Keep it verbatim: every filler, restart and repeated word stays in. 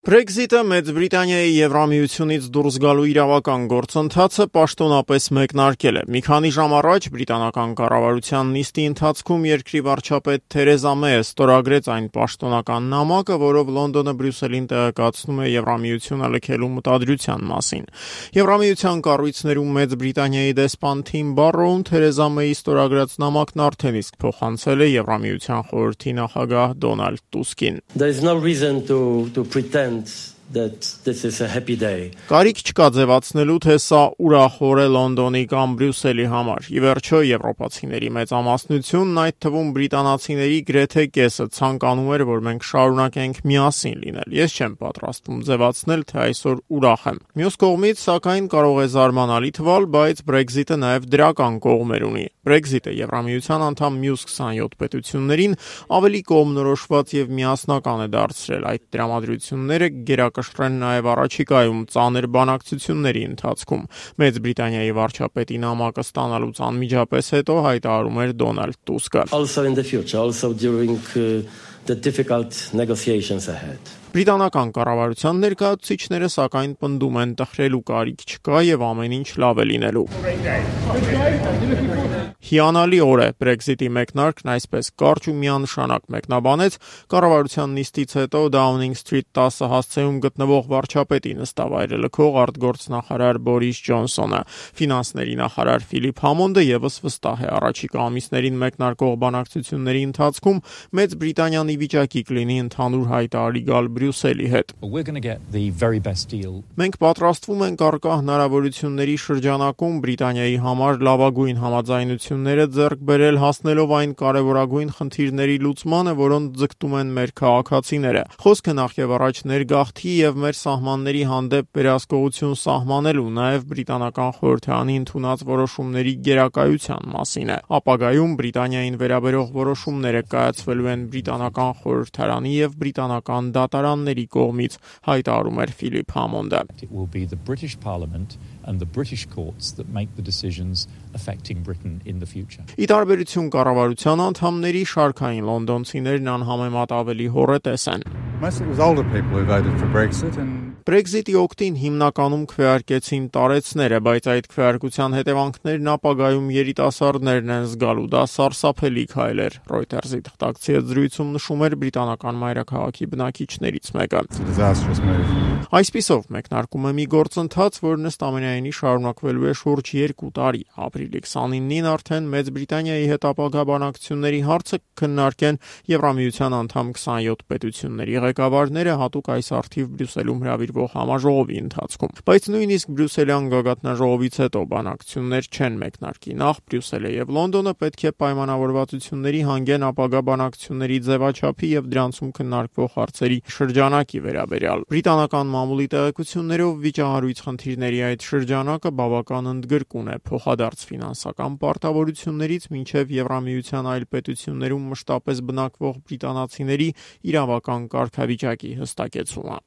Brexit-ը Մեծ Բրիտանիայի Եվրամիությունից դուրս գալու իրավական գործընթացը պաշտոնապես մեկնարկել է։ Մի քանի ժամ առաջ բրիտանական կառավարության նիստի ընթացքում երկրի վարչապետ Թերեզա Մեյը ստորագրեց այն պաշտոնական նամակը, որով Լոնդոնը Բրյուսելին տեղեկացնում է Եվրամիությունը լքելու մտադրության մասին։ Եվրամիության կառույցներում Մեծ Բրիտանիայի դեսպան Թիմ Բարրոուն Թերեզա Մեյի ստորագրած նամակն արդեն իսկ փոխանցել է Եվրամիության խորհրդի նախագահ Դոնալդ Տուսկին։ There is no reason to to pretend that this is a happy day. Կարիք չկա ձևացնելու, թե սա ուրախ օր է Լոնդոնի կամ Բրյուսելի համար։ Ի վերջո, եվրոպացիների մեծամասնությունն, այդ թվում բրիտանացիների գրեթե կեսը ցանկանում էր, որ մենք շարունակենք միասին լինել։ Ես չեմ պատրաստվում ձևացնել, թե այսօր ուրախ եմ։ Մյուս կողմից, սակայն, կարող է զարմանալի թվալ, բայց Brexit-ը նաև դրական կողմեր ունի։ Brexit-ը Եվրամիության անդամ մյուս քսանյոթ պետություններին ավելի կողմնորոշված եւ միասնական է դարձրել։ Այդ դրամատրությունները գերակշռեն նաև առաջիկայում ծանր բանակցությունների ընթացքում։ Մեծ Բրիտանիայի վարչապետի նամակը ստանալուց անմիջապես հետո հայտարարում էր Դոնալդ Տուսկը։ Also in the future, also during uh, the difficult negotiations ahead. Բրիտանական կառավարության ներկայացուցիչները սակայն պնդում են տխրելու կարիք չկա եւ ամեն ինչ լավ է լինելու։ Հիանալի օր է, Brexit-ի մեկնարկն այսպես կարճ ու միանշանակ մեկնաբանեց կառավարության նիստից հետո Downing Street տասը հասցեում գտնվող վարչապետի նստավայրը լքող արտգործնախարար Բորիս Ջոնսոնը։ Ֆինանսների նախարար Ֆիլիպ Համոնդը եւս վստահ է առաջիկա ամիսներին մեկնարկող բանակցությունների ընթացքում Մեծ Բրիտանիան ի վիճակի կլինի ընդհանուր հայտարարի գալ Բրյուսելի հետ։ Մենք պատրաստվում ենք առկա հնարավորությունների շրջանակում Բրիտանիայի համար լավագույն համաձայնությունները ձեռք բերել հասնելով այն կարևորագույն խնդիրների լուծմանը, որոնց ձգտում են մեր քաղաքացիները։ Խոսքը նախ եւ առաջ ներգաղթի եւ մեր սահմանների հանդեպ վերահսկողություն սահմանելու, նաեւ բրիտանական խորհրդարանի ընդունած որոշումների գերակայության մասին է։ Ապագայում Բրիտանիային վերաբերող որոշումները կայացվելու են բրիտանական խորհրդարանի եւ բրիտանական դատարանների կողմից, հայտարարում էր Ֆիլիպ Համոնդը։ It will be the British Parliament and the British courts that make the decisions affecting Britain in the future. Ի տարբերություն կառավարության անդամների, շարքային լոնդոնցիներն անհամեմատ ավելի հոռետես են։ Mostly it was older people who voted for Brexit and Brexit-ի օգտին հիմնականում քվեարկեցին տարեցները, բայց այդ քվեարկության հետևանքներն ապագայում երիտասարդներն են զգալու, դա սարսափելի քայլ էր։ Reuters-ի թղթակցի հետ զրույցում նշում էր բրիտանական մայրաքաղաքի բնակիչներից մեկը։ Այսպիսով մեկնարկում է մի գործընթաց, որն ըստ ամենայնի շարունակվելու է շուրջ երկու տարի։ Ապրիլի քսանինին արդեն Մեծ Բրիտանիայի հետ ապագա բանակցությունների հարցը քննարկեն Եվրամիության անդամ քսանյոթ պետությունների ղեկավարները հատուկ այս արդիվ Բրյուսելում հրավիրվող համաժողովի ընթացքում։ Բայց նույնիսկ Բրյուսելյան գագաթնաժողովից հետո բանակցություններ չեն մեկնարկի։ Նախ Բրյուսելը եւ Լոնդոնը պետք է պայմանավորվածությունների հանգեն ապագա բանակցությունների ձևաչափի եւ դրանցում քննարկվող հարցերի շրջանակի վերաբերյալ։ Բրիտանական մամուլի տեղեկություններով վիճահարույց խնդիրների այդ շրջանակը բավական ընդգրկուն է փոխադարձ ֆինանսական պարտավորություններից մինչև Եվրամիության այլ պետություններում մշտապես բնակվող բրիտանացիների իրավական կարգավիճակի հստակեցումը։